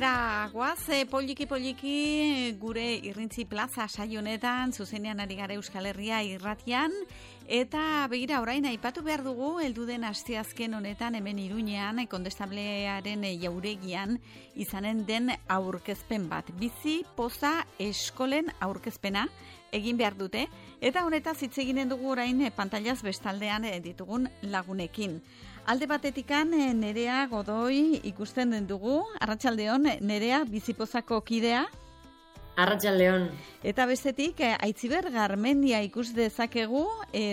Aurrera goaz, poliki gure Irrintzi Plaza saio honetan, zuzenean ari gara Euskal Herria irratian, eta begira orain aipatu behar dugu, heldu den asteazken honetan hemen Iruñean, kondestablearen jauregian, izanen den aurkezpen bat. Bizi poza eskolen aurkezpena egin behar dute, eta honetaz hitz eginen dugu orain pantailaz bestaldean ditugun lagunekin. Alde batetikan Nerea Godoi ikusten den dugu. Arratsaldeon, Nerea, Bizipozako kidea. Arratsaldeon. Eta bestetik, Aitziber Garmendia ikus dezakegu,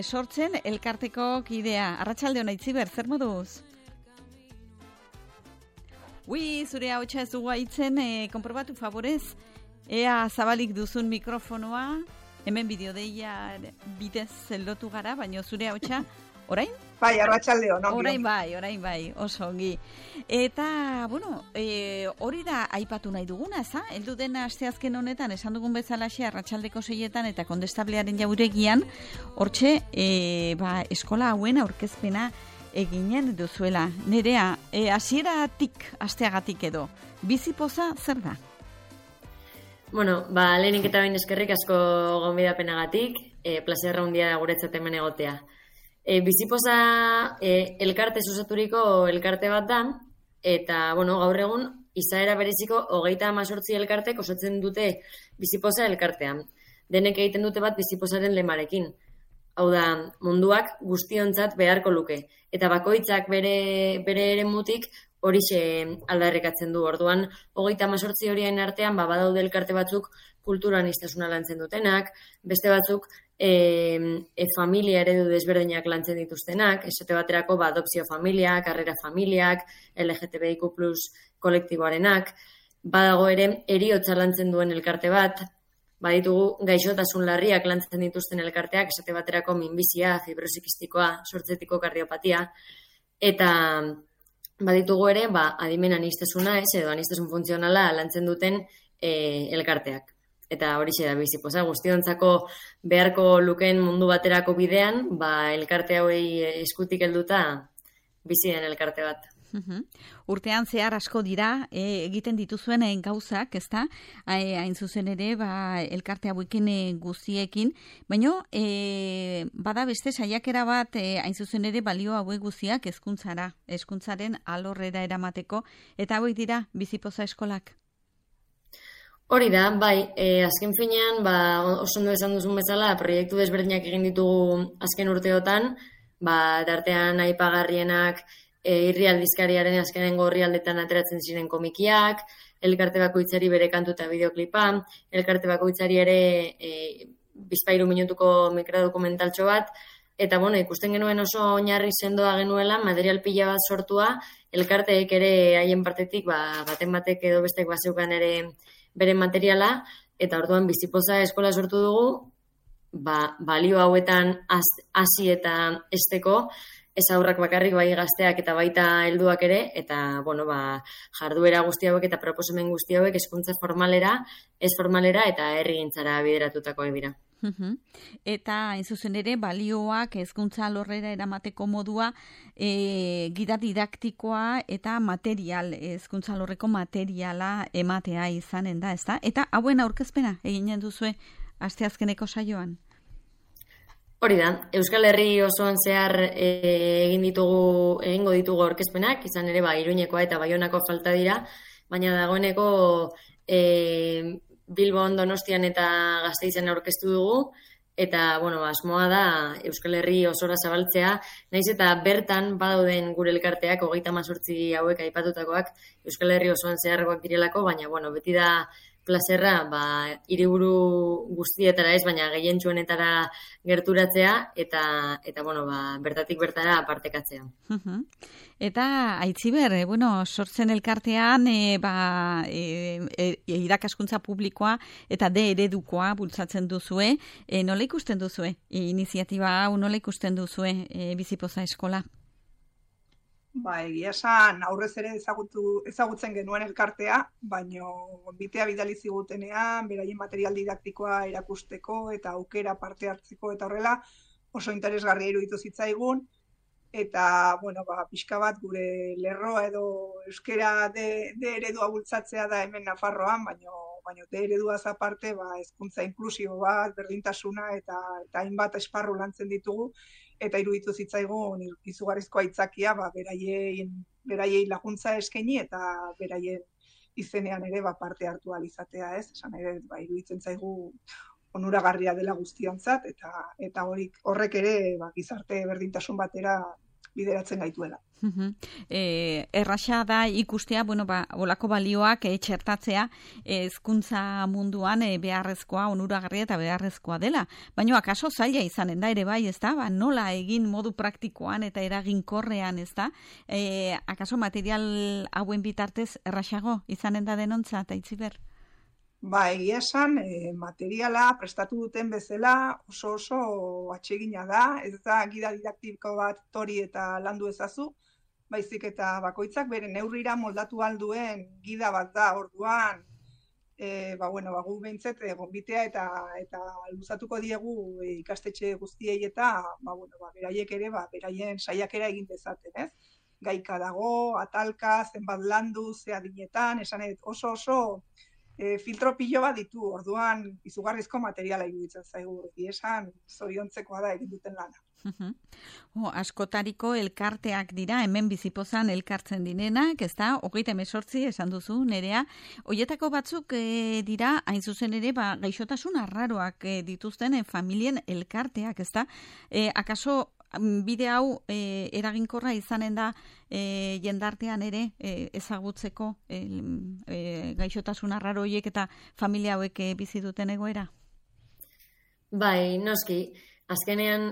sortzen elkarteko kidea. Arratsaldeon, Aitziber, zer moduz? Zure ahotsa ez dugu aitzen, konprobatu favorez. Ea zabalik duzun mikrofonoa, hemen bideodeia bidez zeldotu gara, baina zure ahotsa orain? Bai, arratsaldeon. Orain bai, oso ongi. Eta, hori da aipatu nahi duguna, za? Heldu den asteazken honetan, esan dugun bezalaxe, arratsaldeko 6etan eta kondestablearen jauregian, hortxe, eskola hauen aurkezpena eginen duzuela. Nerea, hasieratik asteagatik edo, Bizipoza zer da? Lehenik eta behin eskerrik asko gonbidapenagatik, plazerra handia da guretzat hemen egotea. Bizipoza elkarte osaturiko elkarte bat da, eta gaur egun izaera bereziko 38 elkartek osatzen dute Bizipoza elkartean. Denek egiten dute bat Bizipozaren lemarekin. Hau da, munduak guztiontzat beharko luke. Eta bakoitzak bere eremutik horixe aldarrikatzen du. Orduan, 38 horien artean badaude elkarte batzuk kultura aniztasuna lantzen dutenak, beste batzuk familia eredu desberdinak lantzen dituztenak, esate baterako adopzio familiak, karrera familiak, LGTBIQ+ kolektiboarenak, badago ere heriotza lantzen duen elkarte bat, baditugu gaixotasun larriak lantzen dituzten elkarteak, esate baterako minbizia, fibrosikistikoa, sortzetiko kardiopatia, eta baditugu ere adimen aniztasuna, edo anistasun funtzionala lantzen duten elkarteak. Eta horixe da Bizipoza, guztiontzako beharko lukeen mundu baterako bidean, elkarte hauei eskutik helduta bizi den elkarte bat. Urtean zehar asko dira egiten dituzuen gauzak, ezta? Hain zuzen ere, elkarte hauekin guztiekin, baina bada beste saiakera bat hain zuzen ere balio hauek guztiak hezkuntzaren alorrera eramateko, eta hauek dira Bizipoza eskolak. Hori da, azken finean, oso ondo esan duzun bezala, proiektu desberdinak egin ditugu azken urteotan, dartean aipagarrienak irri aldizkariaren azkenengo orrialdetan ateratzen ziren komikiak, elkarte bakoitzari bere kantu eta bideoklipa, elkarte bakoitzari ere 2 minutuko mikrodokumentaltxo bat, eta ikusten genuen oso oinarri sendoa genuela, material pila bat sortua, elkarteek ere haien partetik, baten batek edo bestek bazeukan ere bere materiala, eta orduan Bizipoza eskola sortu dugu, balio hauetan hasi eta esteko, ez aurrak bakarrik gazteak eta baita helduak ere, eta jarduera guzti hauek eta proposamen guzti hauek hezkuntza formalera, ez formalera eta herrigintzara bideratutakoak dira. Eta hain zuzen ere balioak hezkuntza alorrera eramateko modua gida didaktikoa eta material, hezkuntza alorreko materiala ematea izanen da, ezta? Eta hauen aurkezpena eginen duzue asteazkeneko saioan? Hori da, Euskal Herri osoan zehar egingo ditugu aurkezpenak, izan ere Iruñekoa eta Baionako falta dira, baina dagoeneko Bilbon, Donostian eta Gasteizen aurkeztu dugu, eta, asmoa da Euskal Herri osora zabaltzea, nahiz eta bertan badauden gure elkarteak, 38 hauek aipatutakoak, Euskal Herri osoan zeharrekoak direlako, baina, beti da plazerra, hiriburu guztietara ez, baina gehientsuenetara gerturatzea, eta bertatik bertara partekatzea. Eta, Aitziber, sortzen elkartean, irakaskuntza publikoa eta eredukoa bultzatzen duzue. Nola ikusten duzue? Iniziatiba hau nola ikusten duzue Bizipoza eskola? Egia esan aurrez ere ezagutzen genuen elkartea, baino gonbitea bidali zigutenean, beraien material didaktikoa erakusteko eta aukera parte hartzeko eta horrela oso interesgarria iruditu zitzaigun. eta, bueno, pixka bat gure lerroa edo euskera de eredua bultzatzea da hemen Nafarroan, baino de ereduaz aparte, hezkuntza inklusibo bat, berdintasuna eta hainbat esparru lantzen ditugu, eta iruditu zitzaigun izugarrizko aitzakia, beraiei laguntza eskaini eta beraien izenean ere parte hartu ahal izatea, ez? Esan ere, iruditzen zaigu onuragarria dela guztiontzat, eta horrek ere gizarte berdintasun batera bideratzen gaituela. Erraxa da ikustea, olako balioak txertatzea hezkuntza munduan beharrezkoa, onuragarria eta beharrezkoa dela. Baina akaso zaila izanen da ere bai, ez da? Nola egin modu praktikoan eta eraginkorrean, ez da? Akaso material hauen bitartez erraxago izanen da denontzat, Aitziber? Egia esan, materiala prestatu duten bezala oso atsegina da, ez da gida didaktiko bat tori eta landu ezazu, baizik eta bakoitzak bere neurrira moldatu alduen gida bat da, orduan, gu behintzet gonbitea eta luzatuko diegu ikastetxe guztiei eta, beraiek ere, beraien saiakera egin dezaten, ez? Gaika dago, atalka, zenbat landu, ze adinetan, esanet oso filtro pilo bat ditu, orduan izugarrizko materiala iruditzen zaigu, esan zoriontzekoa da egin duten lana. Askotariko elkarteak dira, hemen Bizipozan elkartzen direnak, ez da, 38 esan duzu, Nerea. Hoietako batzuk dira, hain zuzen ere, gaixotasun arraroak dituzten familien elkarteak, ez da. Akaso bide hau eraginkorra izanen da jendartean ere ezagutzeko gaixotasun arraro horiek eta familia hauek bizi duten egoera? Bai, noski. Azkenean,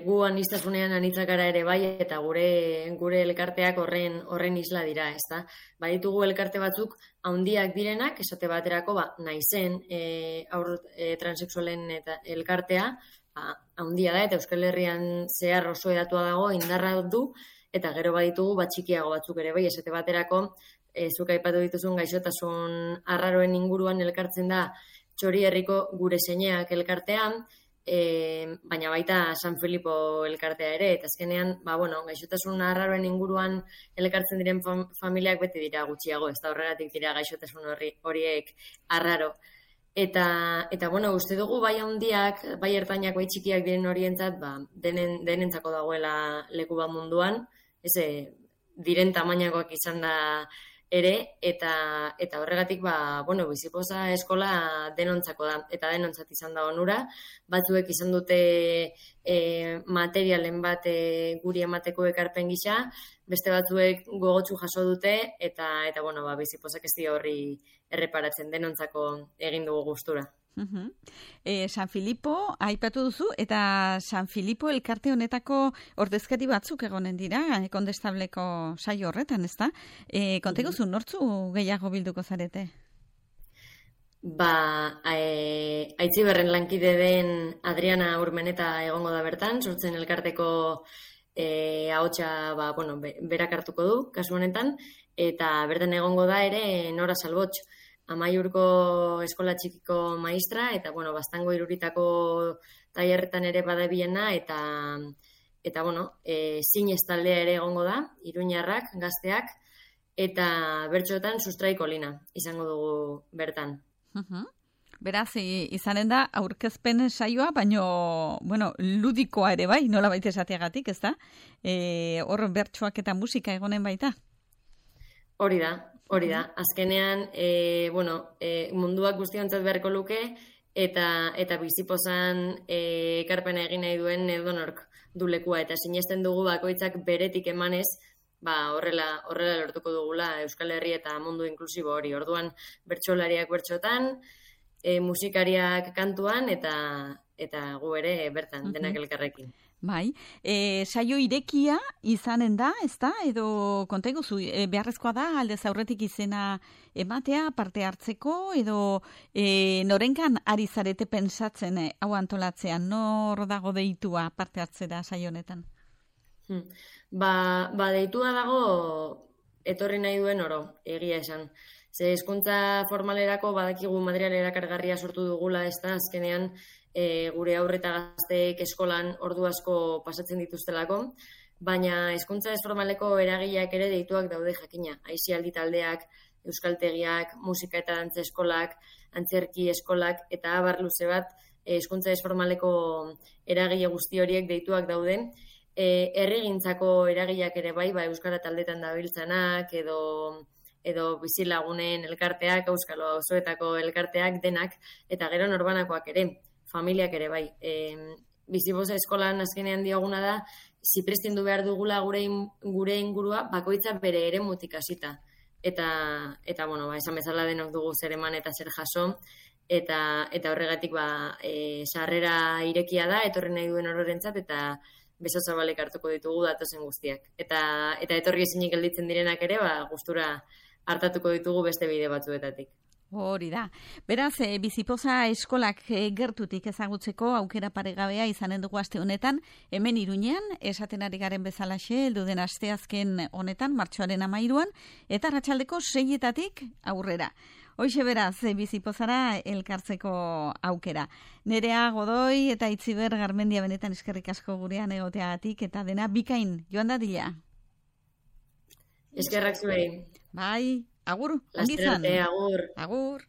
gu aniztasunean anitzakara ere bai, eta gure elkarteak horren isla dira, ez da? Baditugu elkarte batzuk handiak direnak, esate baterako, naizen transexualen eta elkartea, handia da, eta Euskal Herrian zehar oso edatua dago, indarra du, eta gero baditugu txikiago batzuk ere bai, esate baterako, zuk aipatu dituzun gaixotasun arraroen inguruan elkartzen da Txori Herriko Gure Zeineak elkartean, baina baita San Filipo elkartea ere, eta azkenean, gaixotasun arraroen inguruan elkartzen diren familiak beti dira gutxiago, ez da horregatik dira gaixotasun horiek arraro. Eta uste dugu bai handiak, bai ertainak, bai txikiak diren horientzat, denentzako dagoela leku bat munduan, diren tamainakoak izan da ere, eta horregatik, Bizipoza eskola denontzako da, eta denontzat izan da onura. Batzuek izan dute materialen bat guri emateko ekarpen gisa, beste batzuek gogotsu jaso dute, eta Bizipozak ez dio horri erreparatzen, denontzako egin dugu gustura. San Filipo aipatu duzu, eta San Filipo elkarte honetako ordezkari batzuk egonen dira, kondestableko saio horretan, ez da? Konteguzu, nortzu gehiago bilduko zarete? Aitziberren lankide den Adriana Urmeneta egongo da bertan, sortzen elkarteko ahotsa berak hartuko du, kasu honetan, eta bertan egongo da ere Nora Salbotx, Amaiurko eskola txikiko maistra, eta, Baztango Iruritako tailerretan ere badabiena, eta zinez taldea ere egongo da, iruñarrak, gazteak, eta bertxoetan Sustraiko Lina izango dugu bertan. Beraz, izanen da, aurkezpen saioa, baino, ludikoa ere bai, nola baita esateagatik, ez da? Hor bertsoak eta musika egonen baita? Hori da. Azkenean, munduak guztiontzat beharko luke, eta Bizipozan ekarpena egin nahi duen edonork du lekua, eta sinesten dugu bakoitzak beretik emanez, horrela lortuko dugula Euskal Herri eta mundu inklusibo hori. Orduan, bertsolariak bertxotan, musikariak kantuan, eta gu ere bertan, denak elkarrekin. Bai, saio irekia izanen da, ez da? Edo konteguzu, beharrezkoa da aldez aurretik izena ematea, parte hartzeko, edo norenkan ari zarete pensatzen hau antolatzean, nor dago deitua parte hartzera saio honetan? Deitua dago etorri nahi duen oro, egia esan. Ze hezkuntza formalerako badakigu material erakargarria sortu dugula, ez da, azkenean, gure aurre eta gazteek eskolan ordu asko pasatzen dituztelako, baina hezkuntza ez formaleko eragileak ere deituak daude jakina. Aisialdi taldeak, euskaltegiak, musika eta dantza eskolak, antzerki eskolak eta abar luze bat hezkuntza ez formaleko eragile guzti horiek deituak dauden. Herrigintzako eragileak ere bai, euskara taldetan dabiltzanak edo bizilagunen elkarteak, euskalo auzoetako elkarteak denak, eta gero norbanakoak ere, familiak ere bai. Bizipoza eskolan azkenean dioguna da, zipristindu behar dugula gure ingurua bakoitza bere eremutik hasita. Eta bueno, esan bezala denok dugu zer eman eta zer jaso, eta horregatik sarrera irekia da, etorri nahi duen ororentzat, eta beso zabalek hartuko ditugu datozen guztiak. Eta etorri ezinik gelditzen direnak ere, gustura hartatuko ditugu beste bide batzuetatik. Hori da. Beraz, Bizipoza eskolak gertutik ezagutzeko aukera paregabea izanen dugu aste honetan, hemen Iruñean, esaten ari garen bezalaxe, heldu den asteazken honetan, martxoaren 13an, eta arratsaldeko 6etatik aurrera. Hoxe beraz, Bizipozara elkartzeko aukera. Nerea Godoi eta Itziber Garmendia benetan eskerrik asko gurean egoteagatik, eta dena bikain joan dadila. Eskerrak zuei. Bai, agur, ongi izan. Agur. Agur.